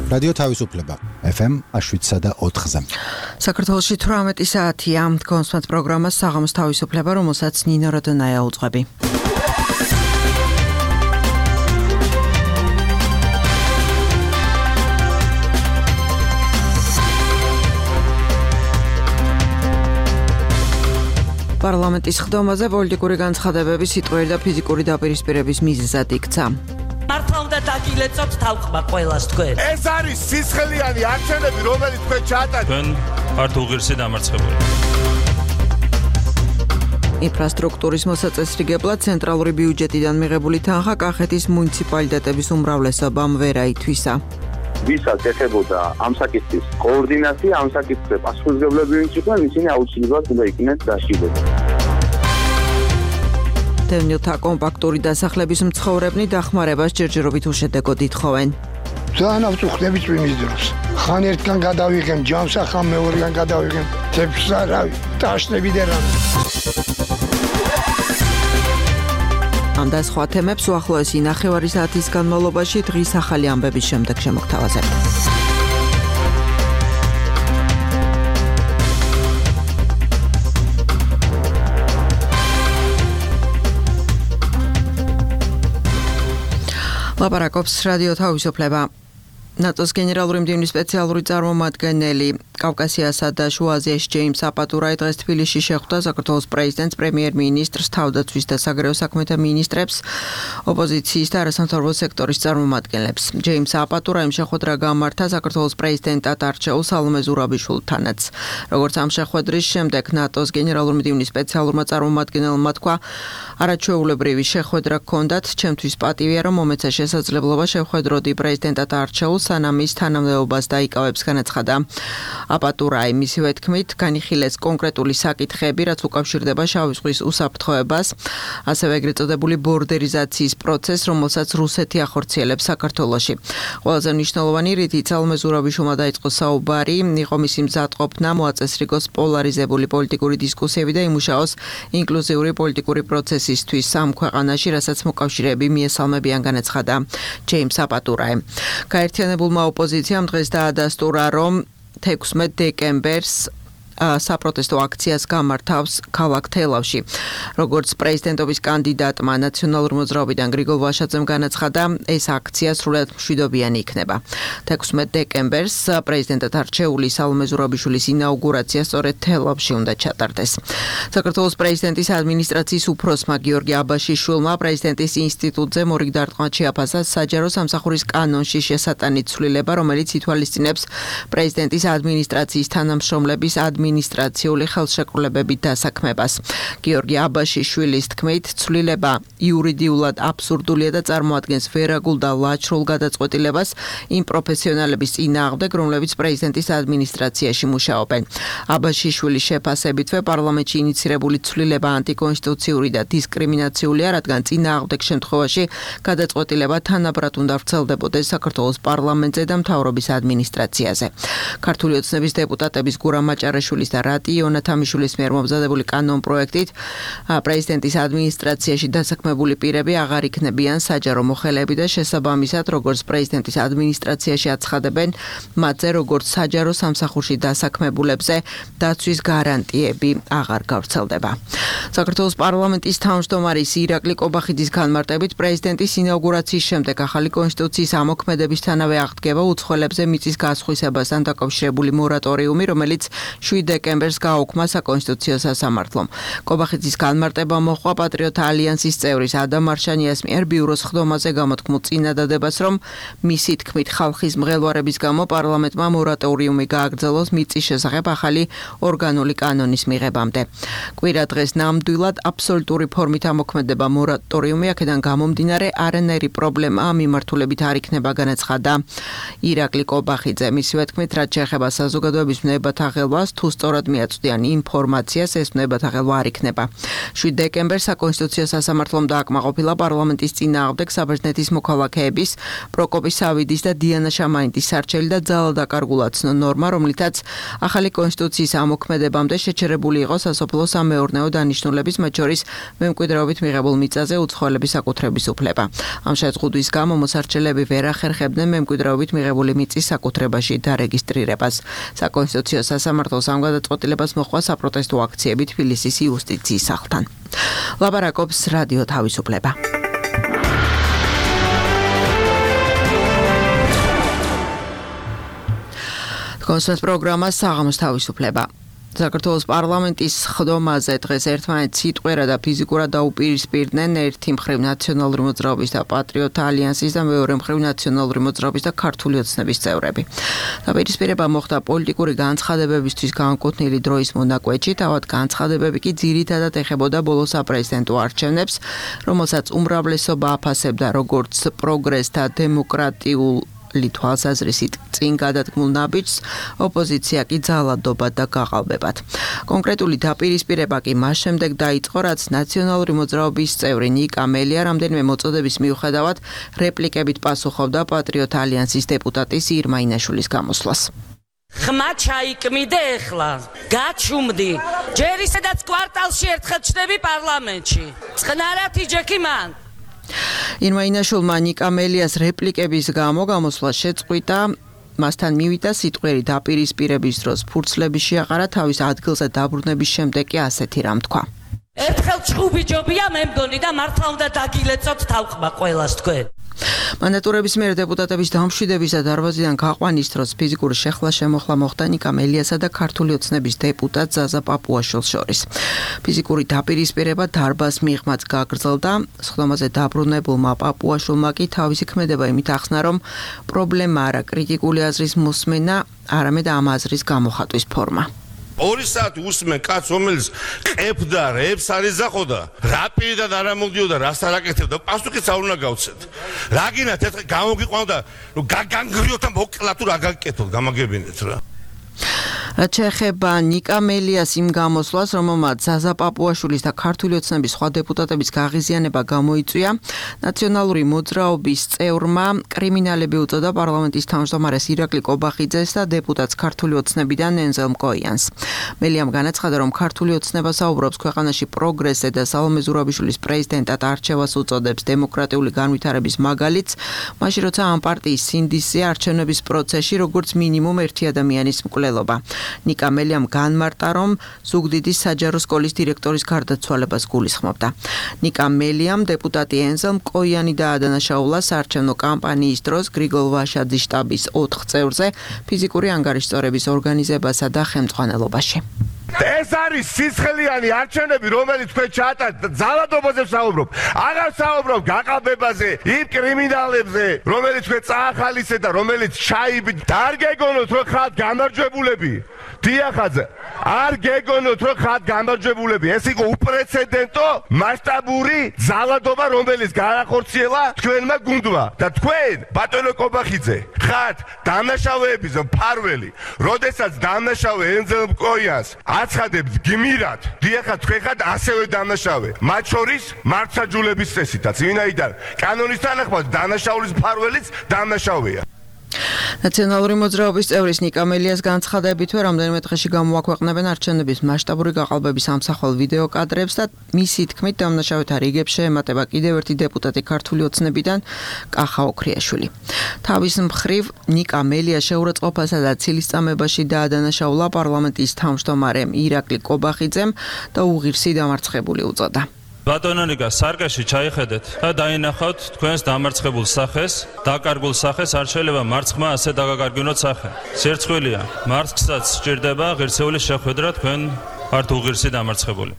რადიო თავისუფლება FM 7.4-ზე. საქართველოში 18 საათია. კონსულტანტ პროგრამას საღამოს თავისუფლება, რომელსაც ნინო როდონაია უძღვები. პარლამენტის ხდომაზე პოლიტიკური განცხადებები სიტყვიერი და ფიზიკური დაპირისპირების მიზეზად იქცა. მართლა უნდა დაგილეწოთ თავყმა ყველას თქვენ. ეს არის სისხლიანი არჩევნები, რომელიც თქვენ ჩაატარეთ. თქვენ ვართ უღირსი დამარცხებული. ინფრასტრუქტურის მოსაწესრიგებლად ცენტრალური ბიუჯეტიდან მიღებული თანხა კახეთის მუნიციპალიტეტების უმრავლესობამ ვერ აითვისა. ვისაც ეხებოდა ამ საკითხის კოორდინაცია, ამ საკითხზე პასუხისმგებლები ვინც იყვნენ, ისინი აუცილებლად უნდა იქნეს დაშლილები. დევნილთა კომპაქტური დასახლების მცხოვრებნი დახმარებას ჯერჯერობით უშედეგოდ ითხოვენ. ძალიან ავწუხდებით წვიმის დროს. ხან ერთგან გადავიღեմ ჯამსა, ხან მეორეგან გადავიღեմ თეფსა, რავი, ტაშნები და რამე. ამ და სხვა თემებს უახლოესი ნახევარი საათის განმავლობაში დღის ახალი ამბების შემდეგ შემოგთავაზებ. ლაპარაკობს რადიო თავისუფლება. ნატოს გენერალური მდივნის სპეციალური წარმომადგენელი კავკასიასა და შუა აზიაში ჯეიმს აპატურაი დღეს თბილისში შეხვდა საქართველოს პრეზიდენტს, პრემიერ-მინისტრს, თავდაცვის და საგარეო საქმეთა მინისტრებს, ოპოზიციის და არასამთავრობო სექტორის წარმომადგენლებს. ჯეიმს აპატურაიმ შეხვედრა გამართა საქართველოს პრეზიდენტად არჩეულ სალომე ზურაბიშვილთანაც. როგორც ამ შეხვედრის შემდეგ ნატოს გენერალური მდივნის სპეციალურმა წარმომადგენელმა თქვა, არაჩვეულებრივი შეხვედრა გქონდათ, ჩემთვის პატივია, რომ მომეცა შესაძლებლობა შევხვედროდი პრეზიდენტად არჩეულ სანამ ის თანამდებობას დაიკავებს, განაცხადა აპატურაი. მისივე თქმით, განიხილეს კონკრეტული საკითხები, რაც უკავშირდება შავი ზღვის უსაფრთხოებას, ასევე ეგრეთ წოდებული ბორდერიზაციის პროცესს, რომელსაც რუსეთი ახორციელებს საქართველოში. ყველაზე მნიშვნელოვანი რითიც სალომე ზურაბიშვილმა დაიწყო საუბარი, იყო მისი მზადყოფნა, მოაწესრიგოს პოლარიზებული პოლიტიკური დისკუსიები და იმუშაოს ინკლუზიური პოლიტიკური პროცესისთვის ამ ქვეყანაში, რასაც მოკავშირეები მიესალმებიან, განაცხადა ჯეიმს აპატურაი. გაერთიანებულმა ოპოზიციამ დღეს დაადასტურა, რომ 16 დეკემბერს საპროტესტო აქციას გამართავს ქალაქ თელავში. როგორც პრეზიდენტობის კანდიდატმა ნაციონალური მოძრაობიდან გრიგოლ ვაშაძემ განაცხადა, ეს აქცია სრულად მშვიდობიანი იქნება. 16 დეკემბერს პრეზიდენტად არჩეული სალომე ზურაბიშვილის ინაუგურაცია სწორედ თელავში უნდა ჩატარდეს. საქართველოს პრეზიდენტის ადმინისტრაციის უფროსმა გიორგი აბაშიშვილმა პრეზიდენტის ინსტიტუტზე მორიგ დარტყმად შეაფასა საჯარო სამსახურის კანონში შესატანით ცვლილება, რომელიც ითვალისწინებს პრეზიდენტის ადმინისტრაციის თანამშრომლების ადმინისტრაციული ხელშეკრულებებით დასაქმებას. გიორგი აბაშიშვილის თქმით, ცვლილება იურიდიულად აბსურდულია და წარმოადგენს ვერაგულ და ლაჩრულ გადაწყვეტილებას იმ პროფესიონალების წინააღმდეგ, რომლებიც პრეზიდენტის ადმინისტრაციაში მუშაობენ. აბაშიშვილის შეფასებითვე პარლამენტში ინიცირებული ცვლილება ანტიკონსტიტუციური და დისკრიმინაციულია, რადგან წინააღმდეგ შემთხვევაში გადაწყვეტილება თანაბრად უნდა ვრცელდებოდეს საქართველოს პარლამენტზე და მთავრობის ადმინისტრაციაზე. ქართული ოცნების დეპუტატების გურამ მაჭარაშვილის და რატი იონათამიშვილის მიერ მომზადებული კანონ პროექტით პრეზიდენტის ადმინისტრაციაში დასაქმებული პირები აღარ იქნებიან საჯარო მოხელეები და შესაბამისად, როგორც პრეზიდენტის ადმინისტრაციაში აცხადებენ, მათზე როგორც საჯარო სამსახურში დასაქმებულებზე დაცვის გარანტიები აღარ გავრცელდება. საქართველოს პარლამენტის თავმჯდომარის ირაკლი კობახიძის განმარტებით, პრეზიდენტის ინაუგურაციის შემდეგ ახალი კონსტიტუციის ამოქმედებისთანავე აღდგება უცხოელებზე მიწის გასხვისებასთან დაკავშირებული მორატორიუმი, რომელიც 7 დეკემბერს გააუქმა საკონსტიტუციო სასამართლომ. კობახიძის განმარტება მოჰყვა პატრიოტთა ალიანსის წევრის ადამ მარშანიას მიერ ბიუროს ხდომაზე გამოთქმულ წინადადებას, რომ მისი თქმით ხალხის მღელვარების გამო პარლამენტმა მორატორიუმი გააგრძელოს მიწის შესახებ ახალი ორგანული კანონის მიღებამდე. კვირა დღეს ნამდვილად აბსოლუტური ფორმით ამოქმედება მორატორიუმი, აქედან გამომდინარე არანაირი პრობლემა მიმართულებით არ იქნება, განაცხადა ირაკლი კობახიძე. მისივე თქმით, რაც შეეხება საზოგადოების ვნებათა ხელვას, თუ სწორად მიაწვდიან ინფორმაციას, ეს ვნებათა ხელვა არ იქნება. 7 დეკემბერს საკონსტიტუციო სასამართლომ დააკმაყოფილა პარლამენტის წინააღმდეგ საბერძნეთის მოქალაქეების პროკოპი სავიდის და დიანა შამაინტის სარჩელი და ძალადაკარგულად ცნო ნორმა, რომლითაც ახალი კონსტიტუციის ამოქმედებამდე შეჩერებული იყო სასოფლო სამეურნეო დანიშნულების, მათ შორის მემკვიდრეობით მიღებულ მიწაზე უცხოელების საკუთრების უფლება. ამ შეზღუდვის გამო მოსარჩელები ვერ ახერხებდნენ მემკვიდრეობით მიღებული მიწის საკუთრებაში დარეგისტრირებას. საკონსტიტუციო სასამართლოს ამ გადაწყვეტილებას მოჰყვა საპროტესტო აქციები თბილისის იუსტიციის სახლთან. ლაპარაკობს რადიო თავისუფლება. კონსერტ პროგრამა საღამოს თავისუფლება. საქართველოს პარლამენტის ხდომაზე დღეს ერთმანეთს სიტყვერა და ფიზიკურად დაუპირისპირდნენ ერთი მხრივ ნაციონალური მოძრაობის და პატრიოტთა ალიანსის და მეორე მხრივ ნაციონალური მოძრაობის და ქართული ოცნების წევრები. დაპირისპირება მოხდა პოლიტიკური განცხადებებისთვის განკუთვნილი დროის მონაკვეთში, თავად განცხადებები კი ძირითადად ეხებოდა ბოლო საპრეზიდენტო არჩევნებს, რომელსაც უმრავლესობა აფასებდა როგორც პროგრესთა დემოკრატიულ თვალსაზრისით წინ გადადგმულ ნაბიჯს, ოპოზიცია კი ძალადობად და გაყალბებად. კონკრეტული დაპირისპირება კი მას შემდეგ დაიწყო, რაც ნაციონალური მოძრაობის წევრი ნიკა მელია რამდენიმე მოწოდების მიუხედავად რეპლიკებით პასუხობდა პატრიოტთა ალიანსის დეპუტატის ირმა ინაშვილის გამოსვლას. ხმა ჩაიკმიდე ეხლა, გაჩუმდი. ჯერ ისედაც კვარტალში ერთხელ ჩნდები პარლამენტში. წყნარად იჯექი მან. ირმა ინაშვილმა ნიკა მელიას რეპლიკების გამო გამოსვლა შეწყვიტა, მასთან მივიდა სიტყვიერი დაპირისპირების დროს ფურცლების შეაყარა, თავის ადგილზე დაბრუნების შემდეგ კი ასეთი რამ თქვა. ერთხელ ჩხუბი ჯობია მე მგონი და მართლა უნდა დაგილეწოთ თავყმა ყველას თქვენ. მანდატურების მიერ დეპუტატების დამშვიდების და დარბაზიდან გაყვანის დროს ფიზიკური შეხლა-შემოხლა მოხდა ნიკა მელიასა და ქართული ოცნების დეპუტატ ზაზა პაპუაშვილს შორის. ფიზიკური დაპირისპირება დარბაზ მიღმაც გაგრძელდა, ხდომაზე დაბრუნებულმა პაპუაშვილმა კი თავისი ქმედება იმით ახსნა, რომ პრობლემა არა კრიტიკული აზრის მოსმენა, არამედ ამ აზრის გამოხატვის ფორმა. 2 საათი უსმენ კაცს, რომელიც ყებდა, რებს არ იზახოდა, რა პირიდან არ ამოდიოდა, რას არ აკეთებდა, პასუხიც არ უნდა გავცეთ. რა გინათ ერთხელ გამოგიყვანდა, რომ განგრიოთ და მოკლა თუ რა გაკეთოთ, გამაგებინეთ რა. რაც შეეხება ნიკა მელიას იმ გამოსვლას, რომელმაც ზაზა პაპუაშვილის და ქართული ოცნების სხვა დეპუტატების გაღიზიანება გამოიწვია, ნაციონალური მოძრაობის წევრმა კრიმინალები უწოდა პარლამენტის თავმჯდომარეს ირაკლი კობახიძეს და დეპუტატს ქართული ოცნებიდან ენზელ მკოიანს. მელიამ განაცხადა, რომ ქართული ოცნება საუბრობს ქვეყანაში პროგრესზე და სალომე ზურაბიშვილის პრეზიდენტად არჩევას უწოდებს დემოკრატიული განვითარების მაგალითს, მაშინ როცა ამ პარტიის სინდისზე არჩევნების პროცესში როგორც მინიმუმ ერთი ადამიანის მკვლელობა. ნიკა მელიამ განმარტა, რომ ზუგდიდის საჯარო სკოლის დირექტორის გარდაცვალებას გულისხმობდა. ნიკა მელიამ დეპუტატი ენზელ მკოიანი დაადანაშაულა საარჩევნო კამპანიის დროს გრიგოლ ვაშაძის შტაბის 4 წევრზე ფიზიკური ანგარიშწორების ორგანიზებასა და ხელმძღვანელობაში. ეს არის სისხლიანი არჩევნები, რომელიც თქვენ ჩაატარეთ, ძალადობაზე ვსაუბრობ. აღარ ვსაუბრობ გაყალბებაზე, იმ კრიმინალებზე, რომელიც თქვენ წაახალისეთ და რომელიც ჩაიბით. არ გეგონოთ, რომ ხართ გამარჯვებულები. დიახაძე, არ გეგონოთ, რომ ხართ გამარჯვებულები. ეს იყო უპრეცედენტო, მასშტაბური ძალადობა, რომელიც გაახორციელა თქვენმა გუნდმა. და თქვენ, ბატონო კობახიძე, ხართ დამნაშავეების მფარველი, როდესაც დამნაშავე ენზელ მკოიანს აცხადებს გმირად, დიახაც თქვენ ხართ ასევე დამნაშავე. მათ შორის მართლმსაჯულების წესითაც, ვინაიდან კანონის თანახმად დამნაშაულის მფარველიც დამნაშავეა. ნაციონალური მოძრაობის წევრის ნიკა მელიას განცხადებითვე რამდენიმე დღეში გამოაქვეყნებენ არჩევნების მასშტაბური გაყალბების ამსახველ ვიდეო კადრებს და მისი თქმით დამნაშავეთა რიგებს შეემატება კიდევ ერთი დეპუტატი ქართული ოცნებიდან კახა ოქრიაშვილი. თავის მხრივ ნიკა მელია შეურაცხყოფასა და ცილისწამებაში დაადანაშაულა პარლამენტის თავმჯდომარემ ირაკლი კობახიძემ და უღირსი დამარცხებული უწოდა. ბატონო ნიკა, სარკეში ჩაიხედეთ და დაინახავთ თქვენს დამარცხებულ სახეს, დაკარგულ სახეს, არ შეიძლება მარცხმა ასე დაგაკარგინოთ სახე. სერცხვილია, მარცხსაც სჭირდება ღირსეულის შეხვედრა, თქვენ ვართ უღირსი დამარცხებული.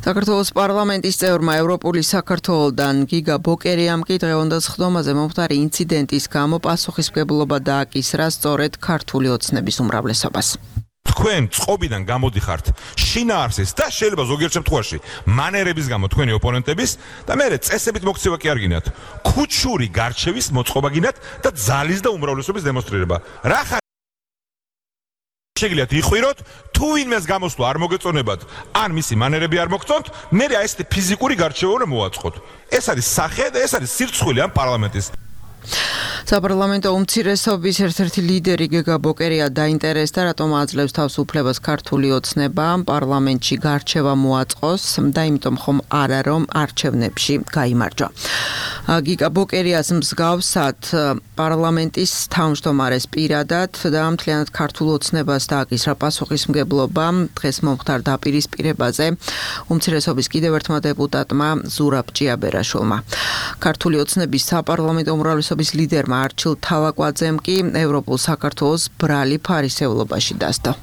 საქართველოს პარლამენტის წევრმა ევროპული საქართველოდან გიგა ბოკერიამ კი დღევანდელ ხდომაზე მომხდარი ინციდენტის გამო პასუხისმგებლობა დააკისრა სწორედ ქართული ოცნების უმრავლესობას. თქვენ წყობიდან გამოდიხართ შინაარსის და შეიძლება ზოგიერთ შემთხვევაში მანერების გამო თქვენი ოპონენტების და მე წესებით მოქცევა კი არ გინათ. ქუჩური გარჩევის მოწყობა გინათ და ძალის და უმრავლესობის დემონსტრირება. რა შეგიძლიათ იყვიროთ, თუ ვინმეს გამოსვლა არ მოგეწონებათ, ან მისი მანერები არ მოგწონთ, მე ესეთი ფიზიკური გარჩევა მოვაწყოთ. ეს არის სახე და ეს არის სირცხვილი ამ პარლამენტის. საპარლამენტო უმცირესობის ერთ-ერთი ლიდერი გეგა ბოკერია დაინტერესდა, რატომ აძლევს თავს უფლებას ქართული ოცნება პარლამენტში გარჩევა მოაწყოს და იმიტომ ხომ არა რომ არჩევნებში გაიმარჯვა. გეგა ბოკერიას მსგავსად პარლამენტის თავმჯდომარეს პირადად და მთლიანად ქართულ ოცნებას დააკისრა პასუხისმგებლობა დღეს მომხდარ დაპირისპირებაზე უმცირესობის კიდევ ერთმა დეპუტატმა ზურაბ ჭიაბერაშვილმა. ქართული ოცნების საპარლამენტო უმრავლესობის ლიდერმა არჩილ თავაკვაძემ კი ევროპულ საქართველოს ბრალი ფარისევლობაში დასდო.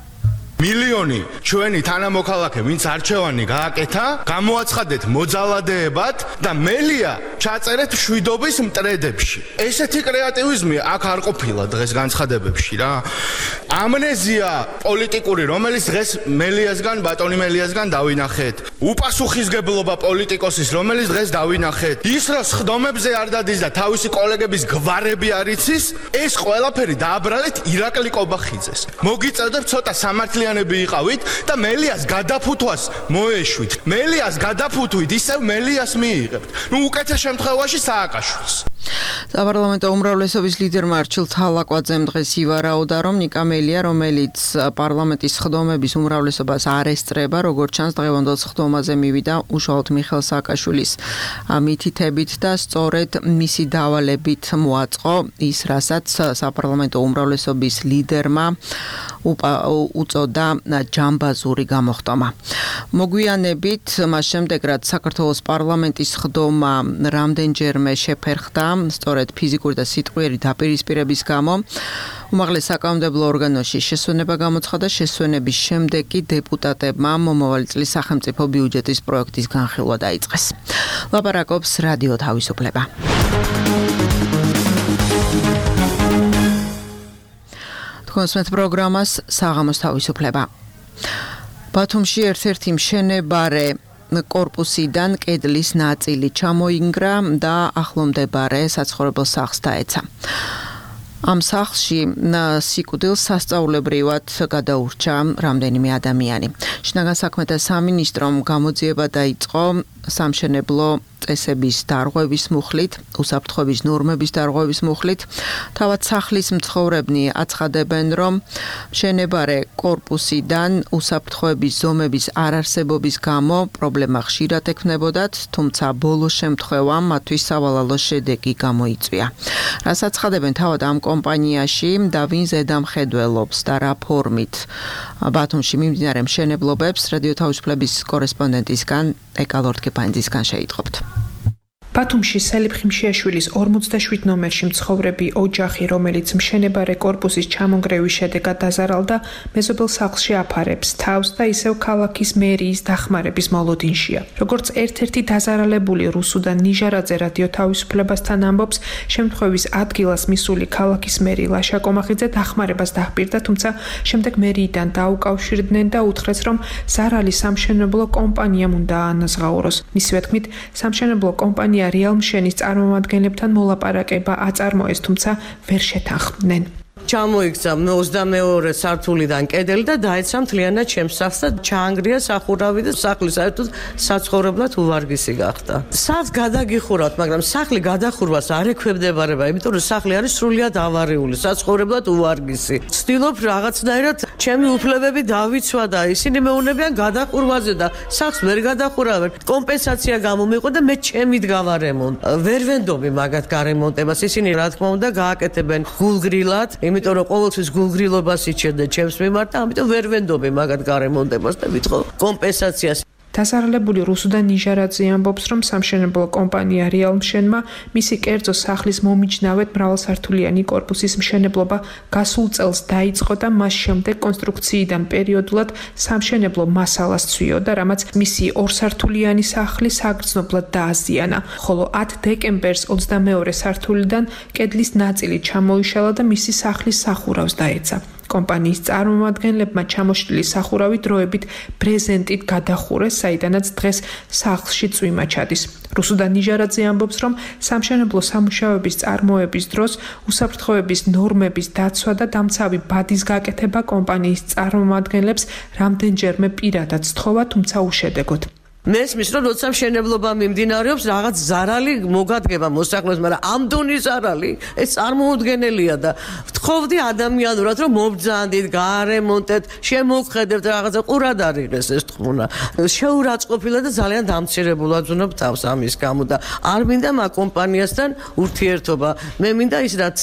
მილიონი ჩვენი თანამოქალაქე, ვინც არჩევანი გააკეთა, გამოაცხადეთ მოძალადეებად და მელია ჩაწერეთ მშვიდობის მტრედებში. ესეთი კრეატივიზმი აქ არ ყოფილა დღეს განცხადებებში რა. ამნეზია პოლიტიკური, რომელიც დღეს მელიასგან, ბატონი მელიასგან დავინახეთ. უპასუხისგებლობა პოლიტიკოსის, რომელიც დღეს დავინახეთ. ის რა სხდომებზე არ დადის და თავისი კოლეგების გვარები არ იცის, ეს ყველაფერი დააბრალეთ ირაკლი კობახიძეს. მოგიწევდეთ ცოტა სამართლიანი იყავით და მელიას გადაფუთვას მოეშვით. მელიას გადაფუთვით ისევ მელიას მიიღებთ. ნუ უკეთეს შემთხვევაში სააკაშვილს. საპარლამენტო უმრავლესობის ლიდერმა არჩილ თავაკვაძემ დღეს ივარაუდა, რომ ნიკა მელია, რომელიც პარლამენტის სხდომების უმრავლესობას არ ესწრება, როგორც ჩანს დღევანდელ სხდომაზე მივიდა უშუალოდ მიხეილ სააკაშვილის მითითებით და სწორედ მისი დავალებით მოაწყო ის, რასაც საპარლამენტო უმრავლესობის ლიდერმა უწოდა ჯამბაზური გამოხტომა. მოგვიანებით მას შემდეგ, რაც საქართველოს პარლამენტის სხდომა რამდენჯერმე შეფერხდა სწორედ ფიზიკური და სიტყვიერი დაპირისპირების გამო, უმაღლეს საკანონმდებლო ორგანოში შესვენება გამოცხადა. შესვენების შემდეგ კი დეპუტატებმა მომავალი წლის სახელმწიფო ბიუჯეტის პროექტის განხილვა დაიწყეს. ლაპარაკობს რადიო თავისუფლება. თქვენს პროგრამას საღამოს თავისუფლება. ბათუმში ერთ-ერთი მშენებარე კორპუსიდან კედლის ნაწილი ჩამოინგრა და ახლომდებარე საცხოვრებელ სახლს დაეცა. ამ სახლში სიკვდილს სასწაულებრივად გადაურჩა რამდენიმე ადამიანი. შინაგან საქმეთა სამინისტრომ გამოძიება დაიწყო სამშენებლო წესების დარღვევის მუხლით, უსაფრთხოების ნორმების დარღვევის მუხლით. თავად სახლის მცხოვრებნი აცხადებენ, რომ მშენებარე კორპუსიდან უსაფრთხოების ზომების არარსებობის გამო პრობლემა ხშირად ექმნებოდათ, თუმცა ბოლო შემთხვევამ მათთვის სავალალო შედეგი გამოიწვია. რას აცხადებენ თავად ამ კომპანიაში და ვინ ზედამხედველობს და რა ფორმით ბათუმში მიმდინარე მშენებლობებს რადიო თავისუფლების კორესპონდენტისგან ეკალორთკეპანძისგან შეიტყობთ. ბათუმში სელიფ ხიმშიაშვილის 47 ნომერში მცხოვრები ოჯახი, რომელიც მშენებარე კორპუსის ჩამონგრევის შედეგად დაზარალდა, მეზობელ სახლში აფარებს თავს და ისევ ქალაქის მერიის დახმარების მოლოდინშია. როგორც ერთ-ერთი დაზარალებული რუსუდან ნიჟარაძე რადიო თავისუფლებასთან ამბობს, შემთხვევის ადგილას მისული ქალაქის მერი ლაშა კომახიძე დახმარებას დაჰპირდა, თუმცა შემდეგ მერიიდან დაუკავშირდნენ და უთხრეს, რომ ზარალი სამშენებლო კომპანიამ უნდა აანაზღაუროს. მისივე თქმით, სამშენებლო კომპანია რეალმშენის წარმომადგენლებთან მოლაპარაკება აწარმოეს, თუმცა ვერ შეთანხმდნენ. ჩამოიქცა 22 სართულიდან კედელი და დაეცა მთლიანად ჩემს სახლს და ჩაანგრია სახურავი და სახლი საერთოდ საცხოვრებლად უვარგისი გახდა. სახლს გადაგიხურავთ, მაგრამ სახლი გადახურვას არ ექვემდებარება, იმიტომ რომ სახლი არის სრულიად ავარიული, საცხოვრებლად უვარგისი. ვცდილობ რაღაცნაირად ჩემი უფლებები დავიცვა და ისინი მეუბნებიან გადახურვაზე და სახლს ვერ გადახურავენ. კომპენსაცია გამომიყო და მე ჩემით გავარემონტ. ვერ ვენდობი მაგათ გარემონტებას. ისინი რა თქმა უნდა გააკეთებენ გულგრილად, იმიტომ რომ ყოველთვის გულგრილობას იჩენდა ჩემს მიმართ და ამიტომ ვერ ვენდობი მაგათ გარემონტებას და ვიტყო კომპენსაციას. დასარალებული რუსუდან ნიჟარაძე ამბობს, რომ სამშენებლო კომპანია რეალმშენმა მისი კერძო სახლის მომიჯნავედ მრავალსართულიანი კორპუსის მშენებლობა გასულ წელს დაიწყო და მას შემდეგ კონსტრუქციიდან პერიოდულად სამშენებლო მასალას ცვიოდა, რამაც მისი ორსართულიანი სახლი საგრძნობლად დააზიანა, ხოლო 10 დეკემბერს 22 სართულიდან კედლის ნაწილი ჩამოიშალა და მისი სახლის სახურავს დაეცა. კომპანიის წარმომადგენლებმა ჩამოშლილი სახურავი დროებით ბრეზენტით გადახურეს, საიდანაც დღეს სახლში წვიმა ჩადის. რუსუდა ნიჟარაძე ამბობს, რომ სამშენებლო სამუშაოების წარმოების დროს უსაფრთხოების ნორმების დაცვა და დამცავი ბადის გაკეთება კომპანიის წარმომადგენლებს რამდენჯერმე პირადად სთხოვა, თუმცა უშედეგოდ. მესმის რომ როცა მშენებლობა მიმდინარეობს რაღაც ზარალი მოგადგება მოსახლეობას, მაგრამ ამ დონის ზარალი ეს წარმოუდგენელია და ვთხოვდი ადამიანურად რომ მობრძანდით, გაარემონტეთ, შემოგხედებთ რაღაცა ყურად არიღეს ეს თქმუნა. შეურაცხყოფილა და ძალიან დამცირებულად ვზნობ თავს ამის გამო და არ მინდა მაგ კომპანიასთან ურთიერთობა. მე მინდა ის რაც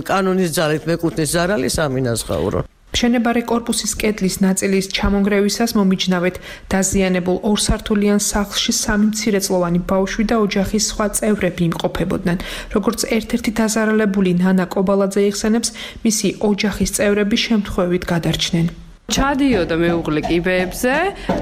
კანონის ძალით მეკუთვნის ზარალი სამინაზღაურო. მშენებარე კორპუსის კედლის ნაწილის ჩამონგრევისას მომიჯნავეთ დაზიანებულ ორსართულიან სახლში 3 მცირეწლოვანი ბავშვი და ოჯახის სხვა წევრები იმყოფებოდნენ. როგორც ერთ-ერთი დაზარალებული ნანა კობალაძე იხსენებს, მისი ოჯახის წევრები შემთხვევით გადარჩნენ. ჩადიოდა მეუღლე კიბეებზე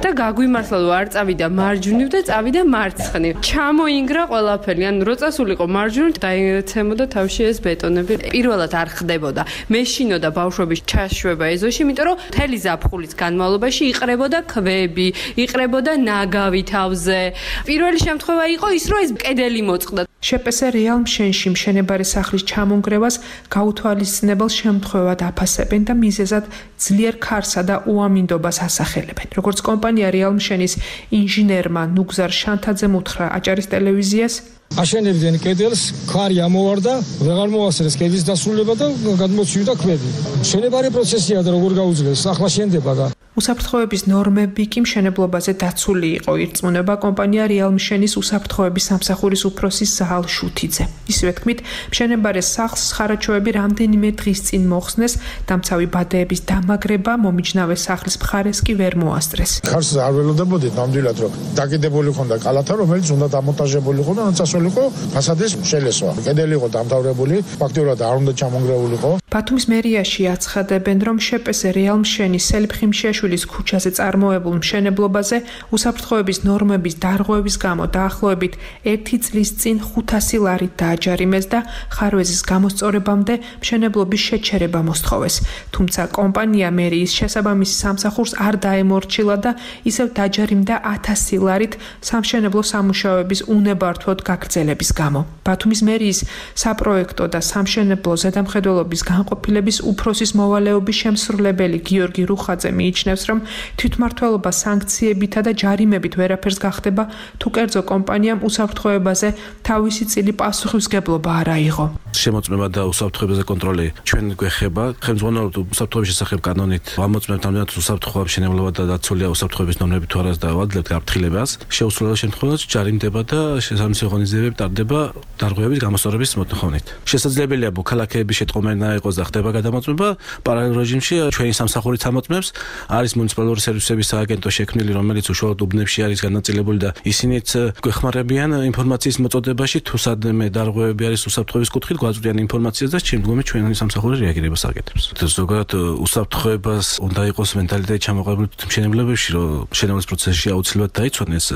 და გაგვიმართლა რომ არ წავიდა მარჯვნივ და წავიდა მარცხნივ. ჩამოინგრა ყველაფერი, ანუ რო წასულიყო მარჯვნივ, დაეცემოდა თავში ეს ბეტონები. პირველად არ ხდებოდა. მეშინოდა ბავშვების ჩაშვება ეზოში, იმიტომ რომ მთელი ზაფხულის განმავლობაში იყრებოდა ქვები, იყრებოდა ნაგავი თავზე. პირველი შემთხვევა იყო ის, რომ ეს კედელი მოწყდა. შპს რეალ მშენში მშენებარე სახლის ჩამონგრევას გაუთვალისწინებელ შემთხვევად აფასებენ და მიზეზად ძლიერ ქარსა და უამინდობას ასახელებენ. როგორც კომპანია რეალ მშენის ინჟინერმა ნუგზარ შანთაძემ უთხრა აჭარის ტელევიზიას, აშენებდნენ კედელს, ქარი ამოვარდა, ვეღარ მოასწრეს კედლის დასრულება და გადმოცივდა ქვები. მშენებარე პროცესია და როგორ გაუძლეს, ახლა შენდება და უსაფრთხოების ნორმები კი მშენებლობაზე დაცული იყო. ირწმუნება კომპანია რეალ მშენის უსაფრთხოების სამსახურის უფროსის ზაალ შუთიძე. ისევე თქმით, მშენებარე სახლს ხარაჩოები რამდენიმე დღის წინ მოხსნეს, დამცავი ბადეების დამაგრება მომიჯნავე სახლის მხარეს კი ვერ მოასწრეს. ქარს არ ველოდებოდით ნამდვილად, რომ დაკიდებული ხონდა კალათა, რომელიც უნდა დამონტაჟებული იყო და ნაცვლი იყო ფასადის შელესვა. კედელი იყო დამთავრებული, ფაქტიურად არ უნდა ჩამონგრეულიყო. ბათუმის მერიაში აცხადებენ, რომ შპს რეალ მშენის სელიფხიმშიაშვილის ქუჩაზე წარმოებულ მშენებლობაზე უსაფრთხოების ნორმების დარღვევის გამო დაახლოებით 1 წლის წინ 500 ლარით დააჯარიმეს და ხარვეზის გამოსწორებამდე მშენებლობის შეჩერება მოსთხოვეს. თუმცა კომპანია მერიის შესაბამის სამსახურს არ დაემორჩილა და ისევ დაჯარიმდა 1000 ლარით სამშენებლო სამუშაოების უნებართვოდ გაგრძელების გამო. ბათუმის მერიის საპროექტო და სამშენებლო ზედამხედველობის განყოფილების უფროსის მოვალეობის შემსრულებელი გიორგი რუხაძე მიიჩნევს, რომ თვითმმართველობა სანქციებითა და ჯარიმებით ვერაფერს გახდება, თუ კერძო კომპანიამ უსაფრთხოებაზე თავისი წილი პასუხისმგებლობა არ აიღო. შემოწმება და უსაფრთხოებაზე კონტროლი ჩვენ გვეხება. ხელმძღვანელობთ უსაფრთხოების შესახებ კანონით ვამოწმებთ ამდენად უსაფრთხოა მშენებლობა და დაცულია უსაფრთხოების ნორმები თუ არას და ვაძლევთ გაფრთხილებას. შეუსრულებელ შემთხვევაში ჯარიმდება და შესაბამისი ღონისძიებები ტარდება დარღვევების გამოსწორების მოთხოვნით. შესაძლებელია მოქალაქეების შეტყობინა იყოს და ხდება გადამოწმება. პარალელურ რეჟიმში ჩვენი სამსახურით ამოწმებს. არის მუნიციპალური სერვისების სააგენტო შექმნილი, რომელიც უშუალოდ უბნებში არის განაწილებული და ისინიც გვეხმარებიან ინფორმაციის მოწოდებაში, თუ სადმე დარღვევები არის უსაფრთხოების კუთხით, გვაწვდიან ინფორმაციას და შემდგომში ჩვენი სამსახური რეაგირებას აკეთებს. ზოგადად უსაფრთხოებას უნდა იყოს მენტალიტეტი ჩამოყალიბებული მშენებლობებში, რომ მშენებლობის პროცესში აუცილებლად დაიცვანეს.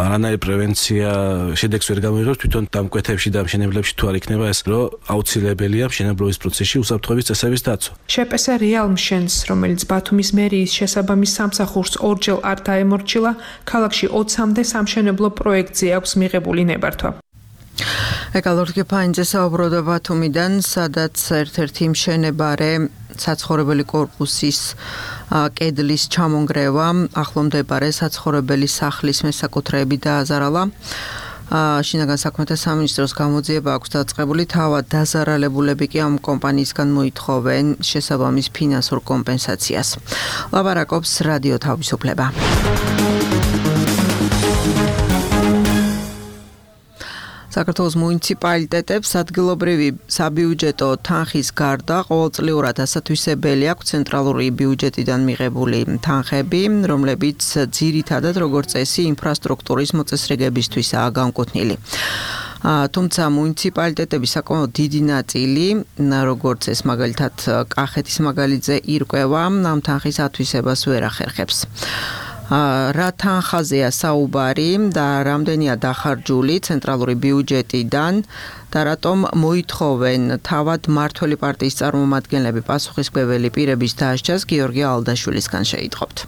არანაირი პრევენცია შედეგს ვერ გამოიღებს თვითონ დამკვეთებში და მშენებლებში თუ არ იქნება ეს, რომ აუცილებელია მშენებლობის პროცესში უსაფრთხოების წესების დაცვა. შპს რეალ მშენს, რომელიც ბათუმის მერიის შესაბამის სამსახურს ორჯერ არ დაემორჩილა, ქალაქში 20-მდე სამშენებლო პროექტზე აქვს მიღებული ნებართვა. ეკალორტკი ფაინძე საუბრობდა ბათუმიდან, სადაც ერთ-ერთი მშენებარე საცხოვრებელი კორპუსის კედლის ჩამონგრევა ახლო მდებარე საცხოვრებელი სახლის მესაკუთრეები დააზარალა. შინაგან საქმეთა სამინისტროს გამოძიება აქვს დაწყებული, თავად დაზარალებულები კი ამ კომპანიისგან მოითხოვენ შესაბამის ფინანსურ კომპენსაციას. ლაპარაკობს რადიო თავისუფლება. საქართველოს მუნიციპალიტეტებს ადგილობრივი საბიუჯეტო თანხის გარდა ყოველწლიურად ასათვისებელი აქვს ცენტრალური ბიუჯეტიდან მიღებული თანხები, რომლებიც ძირითადად როგორც წესი ინფრასტრუქტურის მოწესრიგებისთვისაა განკუთვნილი. თუმცა მუნიციპალიტეტების საკმაოდ დიდი ნაწილი, როგორც ეს მაგალითად კახეთის მაგალითზე ირკვევა, ამ თანხის ათვისებას ვერ ახერხებს. რა თანხაზეა საუბარი და რამდენია დახარჯული ცენტრალური ბიუჯეტიდან და რატომ მოითხოვენ თავად მმართველი პარტიის წარმომადგენლები პასუხისმგებელი პირების დასჯას გიორგი ალდაშვილისგან შეიტყობთ.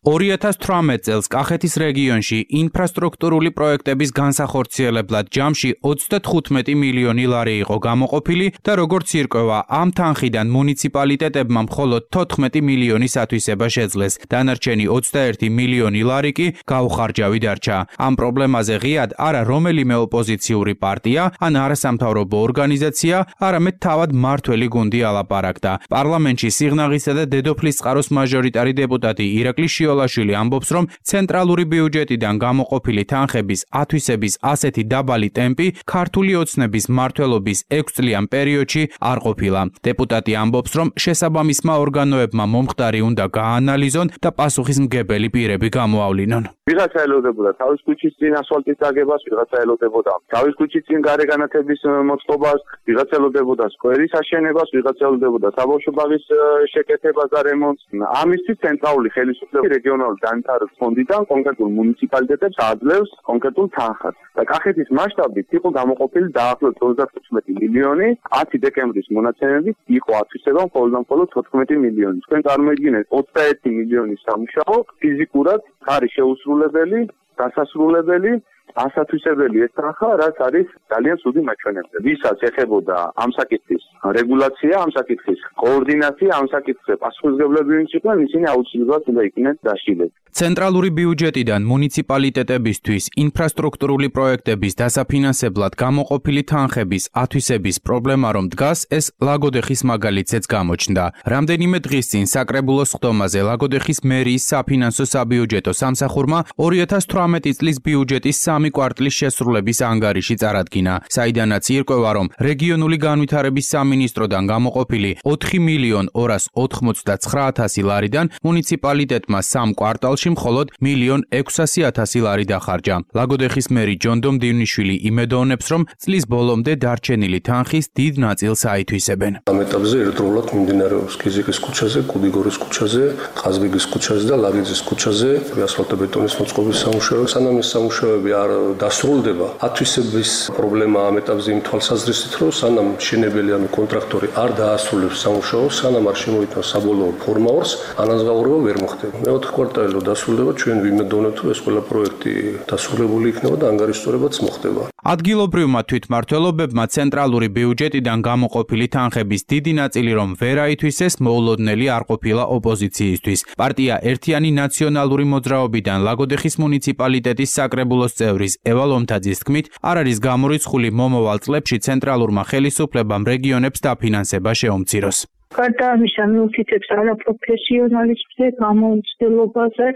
2018 წელს კახეთის რეგიონში ინფრასტრუქტურული პროექტების განსახორციელებლად ჯამში 35 მილიონი ლარი იყო გამოყოფილი და როგორც ირკვევა, ამ თანხიდან მუნიციპალიტეტებმა მხოლოდ 14 მილიონის ათვისება შეძლეს. დანარჩენი 21 მილიონი ლარი კი გაუხარჯავი დარჩა. ამ პრობლემაზე ღიად არა რომელიმე ოპოზიციური პარტია, ან არასამთავრობო ორგანიზაცია, არამედ თავად მმართველი გუნდი ალაპარაკდა. პარლამენტში სიღნაღისა და დედოფლის წყაროს მაჟორიტარი დეპუტატი ირაკლი ლაშილი ამბობს, რომ ცენტრალური ბიუჯეტიდან გამოყოფილი თანხების ათვისების ასეთი დაბალი ტემპი ქართული ოცნების მმართველობის 6 წლიან პერიოდში არ ყოფილა. დეპუტატი ამბობს, რომ შესაბამისმა ორგანოებმა მომხდარი უნდა გაანალიზონ და პასუხისმგებელი პირები გამოავლინონ. ვიღაცა ელოდებოდა თავის ქუჩის წინ ასფალტის დაგებას, ვიღაცა ელოდებოდა თავის ქუჩის წინ გარე განათების მოწყობას, ვიღაცა ელოდებოდა სკვერის აშენებას, ვიღაცა ელოდებოდა საბავშვო ბაღის შეკეთებას და რემონტს. ამისთვის ცენტრალური ხელისუფლება რეგიონალური განვითარების ფონდიდან კონკრეტულ მუნიციპალიტეტებს აძლევს კონკრეტულ თანხას. და კახეთის მასშტაბით იყო გამოყოფილი დაახლოებით 35 მილიონი, 10 დეკემბრის მონაცემებით იყო ათვისება მხოლოდ 14 მილიონი. თქვენ წარმოიდგინეთ 21 მილიონის სამუშაო ფიზიკურად არის შეუსრულებელი, დასასრულებელი, ასათვისებელი ეს თანხა, რაც არის ძალიან ცუდი მაჩვენებელი. ვისაც ეხებოდა ამ საკითხის რეგულაცია, ამ საკითხის კოორდინაცია, ამ საკითხზე პასუხისმგებლები ვინც იყვნენ, ისინი აუცილებლად უნდა იქნენ დასჯილები. ცენტრალური ბიუჯეტიდან მუნიციპალიტეტებისთვის ინფრასტრუქტურული პროექტების დასაფინანსებლად გამოყოფილი თანხების ათვისების პრობლემა რომ დგას, ეს ლაგოდეხის მაგალითზეც გამოჩნდა. რამდენიმე დღის წინ საკრებულოს ხდომაზე ლაგოდეხის მერიის საფინანსო საბიუჯეტო სამსახურმა 2018 წლის ბიუჯეტის 3 კვარტლის შესრულების ანგარიში წარადგინა, საიდანაც ირკვევა, რომ რეგიონული განვითარების სამინისტროდან გამოყოფილი 4 მილიონ 299,000 ლარიდან მუნიციპალიტეტმა 3 კვარტალში მხოლოდ 1,600,000 ლარი დახარჯა. ლაგოდეხის მერი ჯონდო მდივნიშვილი იმედოვნებს, რომ წლის ბოლომდე დარჩენილი თანხის დიდ ნაწილს აითვისებენ. ამ ეტაპზე ერთდროულად მიმდინარეობს კიზიკის ქუჩაზე, კუდიგორის ქუჩაზე, ყაზბეგის ქუჩაზე და ლაგიძის ქუჩაზე ასფალტობეტონის მოწყობის სამუშაოები. სანამ ეს სამუშაოები არ დასრულდება, ათვისების პრობლემა ამ ეტაპზე იმ თვალსაზრისით, რომ სანამ მშენებელი ანუ კონტრაქტორი არ დაასრულებს სამუშაოს, სანამ არ შემოიტანს საბოლოო ფორმაორს, ანაზღაურება ვერ მოხდება. მეოთხე კვარტალი დასრულდება, ჩვენ ვიმედოვნებთ, რომ ეს ყველა პროექტი დასრულებული იქნება და ანგარიშწორებაც მოხდება. ადგილობრივმა თვითმმართველობებმა ცენტრალური ბიუჯეტიდან გამოყოფილი თანხების დიდი ნაწილი რომ ვერ აითვისეს, მოულოდნელი არ ყოფილა ოპოზიციისთვის. პარტია ერთიანი ნაციონალური მოძრაობიდან ლაგოდეხის მუნიციპალიტეტის საკრებულოს წევრის ევა ლომთაძის თქმით, არ არის გამორიცხული მომავალ წლებში ცენტრალურმა ხელისუფლებამ რეგიონებს დაფინანსება შეუმციროს. გარდა ამისა, მიუთითებს არაპროფესიონალიზმზე, გამოუცდელობაზე,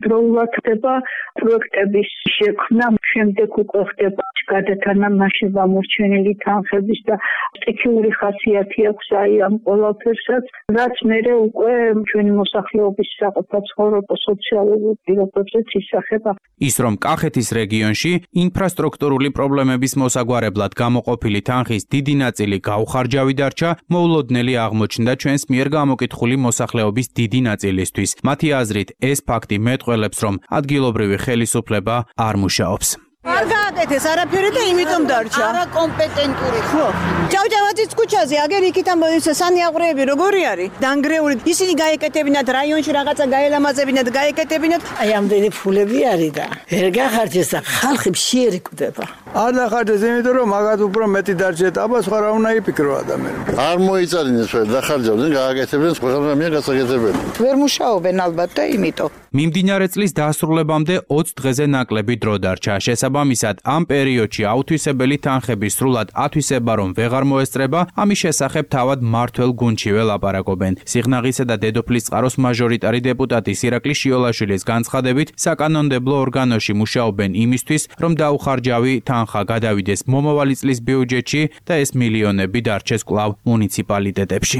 დროულად ხდება პროექტების შექმნა, შემდეგ უკვე ხდება გადათამაშება მორჩენილი თანხების და სტიქიური ხასიათი აქვს აი ამ ყველაფერსაც, რაც მერე უკვე ჩვენი მოსახლეობის საყოფაცხოვრებო სოციალურ პირობებზეც ისახება. ის რომ კახეთის რეგიონში ინფრასტრუქტურული პრობლემების მოსაგვარებლად გამოყოფილი თანხის დიდი ნაწილი გაუხარჯავი დარჩა, მოულოდნელი აღმოჩნდა ჩვენს მიერ გამოკითხული მოსახლეობის დიდი ნაწილისთვის. მათი აზრით, ეს ფაქტი მეტყველებს, რომ ადგილობრივი ხელისუფლება არ მუშაობს. არ გააკეთეს არაფერი და იმიტომ დარჩა. არა კომპეტენტური ხო. ჯავჯავაძის ქუჩაზე აგერ იქით ამ სანიაღვრეები როგორი არის? დანგრეული. ისინი გაეკეთებინათ რაიონში რაღაცა გაელამაზებინათ, გაეკეთებინათ. აი ამდენი ფულები არის და ვერ გახარჯეს და ხალხი მშიერი კვდება. არ დახარჯეს, იმიტომ რომ მაგათ უფრო მეტი დარჩეთ. აბა სხვა რა უნდა იფიქრო ადამიანები. არ მოიწარინეს ვერ დახარჯავდნენ, გააკეთებდნენ სხვა რამე გასაკეთებელი. ვერ მუშაობენ ალბათ და იმიტომ. მიმდინარე წლის დასრულებამდე 20 დღეზე ნაკლები დრო დარჩა. შესაბამისად, ამ პერიოდში აუთვისებელი თანხების სრულად ათვისება რომ ვეღარ მოესწრება, ამის შესახებ თავად მმართველ გუნდშივე ლაპარაკობენ. სიღნაღისა და დედოფლის წყაროს მაჟორიტარი დეპუტატი ირაკლი შიოლაშვილის განცხადებით, საკანონმდებლო ორგანოში მუშაობენ იმისთვის, რომ დაუხარჯავი თანხა გადავიდეს მომავალი წლის ბიუჯეტში და ეს მილიონები დარჩეს კვლავ მუნიციპალიტეტებში.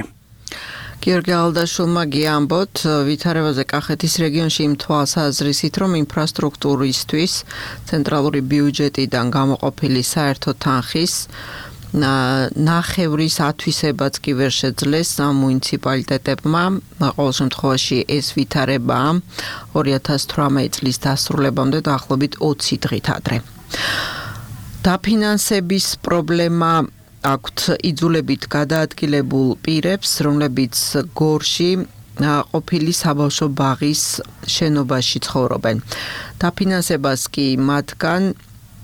გიორგი ალდაშვილმა გიამბოთ ვითარებაზე კახეთის რეგიონში იმ თვალსაზრისით, რომ ინფრასტრუქტურისთვის ცენტრალური ბიუჯეტიდან გამოყოფილი საერთო თანხის ნახევრის ათვისებაც კი ვერ შეძლეს მუნიციპალიტეტებმა. ყოველ შემთხვევაში ეს ვითარებაა 2018 წლის დასრულებამდე დაახლოებით 20 დღით ადრე. დაფინანსების პრობლემა აქვთ იძულებით გადაადგილებულ პირებს, რომლებიც გორში ყოფილი საბავშვო ბაღის შენობაში ცხოვრობენ. დაფინანსებას კი მათგან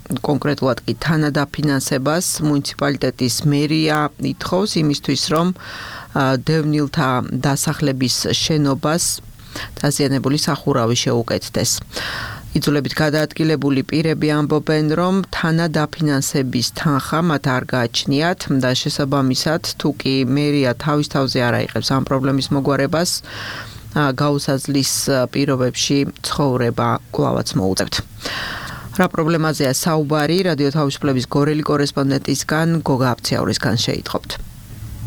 კონკრეტულად კი თანადაფინანსებას მუნიციპალიტეტის მერია ითხოვს იმისთვის, რომ დევნილთა დასახლების შენობას დაზიანებული სახურავი შეუკეთდეს. იძულებით გადაადგილებული პირები ამბობენ, რომ თანადაფინანსების თანხა მათ არ გააჩნიათ და შესაბამისად, თუ კი მერია თავის თავზე არ აიღებს ამ პრობლემის მოგვარებას, გაუსაძლის პირობებში ცხოვრება კვლავაც მოუწევთ. რა პრობლემაზეა საუბარი რადიო თავისუფლების გორელი კორესპონდენტისგან გოგა აფციაურისგან შეიტყობთ.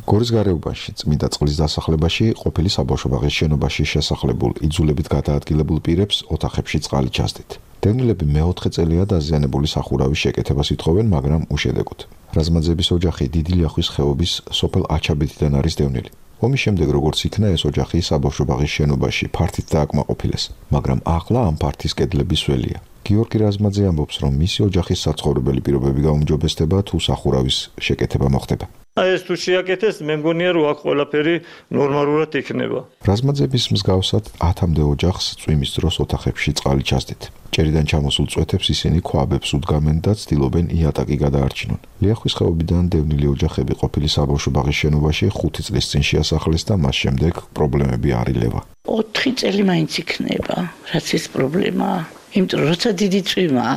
გორის გარეუბანში წმინდა წყლის დასახლებაში ყოფილი საბავშვო ბაღის შენობაში შესახლებულ იძულებით გადაადგილებულ პირებს ოთახებში წყალი ჩასდით. დევნილები მეოთხე წელია დაზიანებული სახურავის შეკეთებას ითხოვენ, მაგრამ უშედეგოდ. რაზმაძეების ოჯახი დიდი ლიახვის ხეობის სოფელ აჩაბეთიდან არის დევნილი. ომის შემდეგ როგორც იქნა ეს ოჯახი საბავშვო ბაღის შენობაში ფართით დააკმაყოფილეს, მაგრამ ახლა ამ ფართის კედლების ველია. გიორგი რაზმაძე ამბობს, რომ მისი ოჯახის საცხოვრებელი პირობები გაუმჯობესდება თუ სახურავის შეკეთება მოხდება. ეს თუ შეაკეთეს, მე მგონია რომ აქ ყველაფერი ნორმალურად იქნება. რაზმაძეების მსგავსად 10-მდე ოჯახს წვიმის დროს ოთახებში წყალი ჩასდით. ჭერიდან ჩამოსულ წვეთებს ისინი ქვაბებს უდგამენ და ცდილობენ იატაკი გადაარჩინონ. ლიახვის ხეობიდან დევნილი ოჯახები ყოფილი საბავშვო ბაღის შენობაში 5 წლის წინ შეასახლეს და მას შემდეგ პრობლემები არ ილევა. 4 წელი მაინც იქნება, რაც ეს პრობლემაა. იმიტომ რომ როცა დიდი წვიმაა,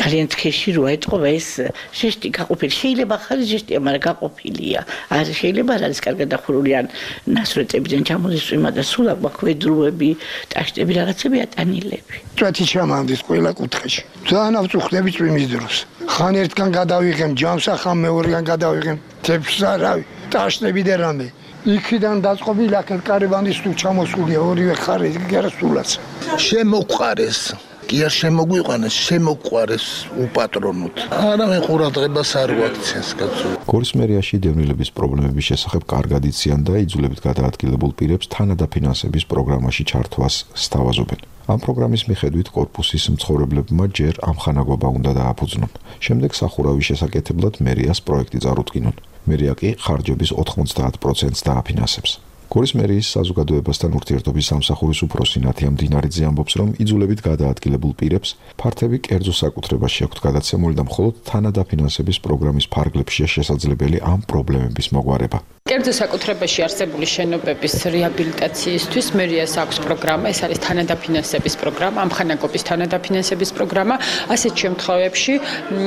ძალიან თქეში როა ეთყობა ეს შეშტი გაყოფილი. შეიძლება ხარი შეშტია, მაგრამ გაყოფილია. არ შეიძლება არ არის კარგად დახურული ან ნასრეტებიდან ჩამოდის წვიმა და სულ აკვედრუები, ტაშტები, რაღაცები ატანილები. წვეთი ჩამამდის ყველა კუთხეში. ძალიან ავწუხდები წვიმის დროს. ხან ერთგან გადავიღեմ ჯამს, ახლა მეორეგან გადავიღեմ თეფს არავი, ტაშტები და რამე. იქიდან დაწყობილი აქ კარიბანდის თუ ჩამოსულია ორივე ხარი გერასულაც. შემოყარეს, კი არ შემოგვიყვანეს, შემოყარეს უპატრონოთ. არა მე ყურადღებას არ ვაქცეს კაცო. გორის მერიაში დევნილების პრობლემების შესახებ კარგად იციან და იძულებით გადაადგილებულ პირებს თანადაფინანსების პროგრამაში ჩართვას სთავაზობენ. ამ პროგრამის მიხედვით კორპუსის მცხოვრებლებმა ჯერ ამხანაგობა უნდა დააფუძნონ. შემდეგ სახურავის შესაკეთებლად მერიას პროექტი წარუდგინონ. მერია კი ხარჯების 90% დააფინანსებს. გორის მერიის საზოგადოებასთან ურთიერთობის სამსახურის უფროსი ნათია მდინარიძე ამბობს, რომ იძულებით გადაადგილებულ პირებს ფართები კერძო საკუთრებაში აქვთ გადაცემული და მხოლოდ თანადაფინანსების პროგრამის ფარგლებშია შესაძლებელი ამ პრობლემების მოგვარება. კერძო საკუთრებაში არსებული შენობების რეაბილიტაციისთვის მერიას აქვს პროგრამა, ეს არის თანადაფინანსების პროგრამა, ამხანაგობის თანადაფინანსების პროგრამა. ასეთ შემთხვევებში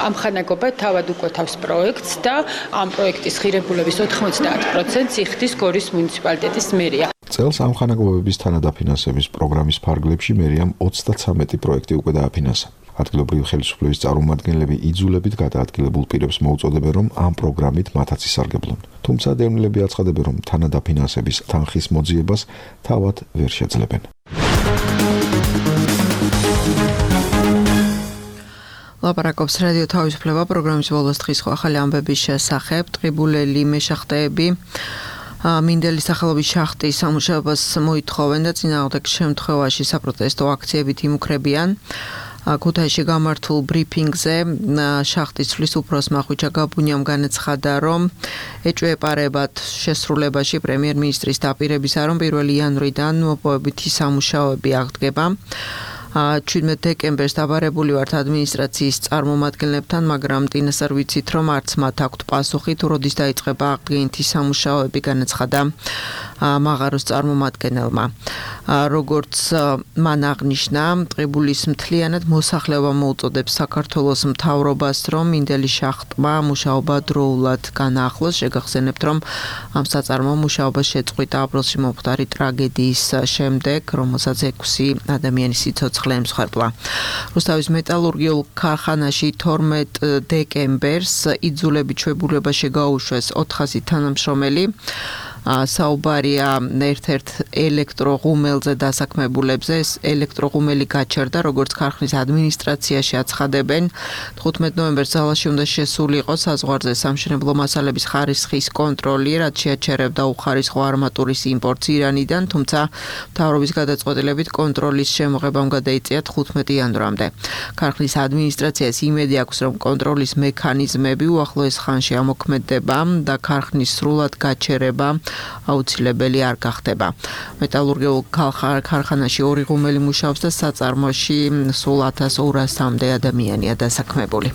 ამხანაგობა თავად უკვეთავს პროექტს და ამ პროექტის ღირებულების 90% იხდის გორის მუნიციპალიტეტის მერია. წელს ამხანაგობების თანადაფინანსების პროგრამის ფარგლებში მერიამ 33 პროექტი უკვე დააფინანსა. ადგილობრივი ხელისუფლების წარმომადგენლები იძულებით გადაადგილებულ პირებს მოუწოდებენ, რომ ამ პროგრამით მათაც ისარგებლონ. თუმცა დევნილები აცხადებენ, რომ თანადაფინანსების თანხის მოძიებას თავად ვერ შეძლებენ. ლაპარაკობს რადიო თავისუფლება პროგრამის ბოლოს დღის ახალი ამბების შესახებ. ტყიბულელი მეშახტეები მინდელის სახელობის შახტის სამუშაობას მოითხოვენ და წინააღმდეგ შემთხვევაში საპროტესტო აქციებით იმუქრებიან. ქუთაისში გამართულ ბრიფინგზე შახტის ცვლის უფროსმა ხვიჩა გაბუნიამ განაცხადა, რომ ეჭვეპარებათ შესრულებაში პრემიერ-მინისტრის დაპირებისა, რომ 1 იანვრიდან მოპოვებითი სამუშაოები აღდგება. 17 დეკემბერს დაბარებული ვართ ადმინისტრაციის წარმომადგენლებთან, მაგრამ ტინას არ ვიცით, რომ არც მათ აქვთ პასუხი, თუ როდის დაიწყება აღდგენითი სამუშაოები, განაცხადა მაღაროს წარმომადგენელმა. როგორც მან აღნიშნა, ტყიბულის მთლიანად მოსახლეობა მოუწოდებს საქართველოს მთავრობას, რომ მინდელის შახტმა მუშაობა დროულად განაახლოს. შეგახსენებთ, რომ ამ საწარმო მუშაობა შეწყვიტა აპრილში მომხდარი ტრაგედიის შემდეგ, რომელსაც 6 ადამიანის სიცოცხლე ემსხვერპლა. რუსთავის მეტალურგიულ ქარხანაში 12 დეკემბერს იძულებით ჩვეულებაში გაუშვეს 400 თანამშრომელი. საუბარია ერთ-ერთ ელექტროღუმელზე დასაქმებულებზე. ეს ელექტროღუმელი გაჩერდა, როგორც ქარხნის ადმინისტრაციაში აცხადებენ. 15 ნოემბერს ძალაში უნდა შესულიყო საზღვარზე სამშენებლო მასალების ხარისხის კონტროლი, რაც შეაჩერებდა უხარისხო არმატურის იმპორტს ირანიდან, თუმცა მთავრობის გადაწყვეტილებით კონტროლის შემოღებამ გადაიწია 15 იანვრამდე. ქარხნის ადმინისტრაციას იმედი აქვს, რომ კონტროლის მექანიზმები უახლოეს ხანში ამოქმედდება და ქარხნის სრულად გაჩერება აუცილებელი არ გახდება. მეტალურგიულ ქარხანაში 2 ღუმელი მუშაობს და საწარმოში სულ 1200-მდე ადამიანია დასაქმებული.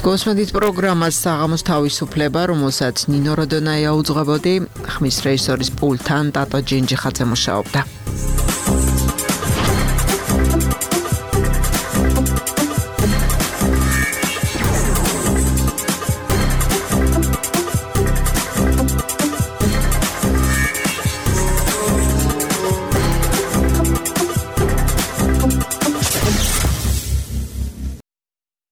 გოსმედით პროგრამას საღამოს თავისუფლება, რომელსაც ნინო როდონაია უძღვებოდი, ხმის რეჟისორის პულტთან ტატო ჯინჯიხაძე მუშაობდა.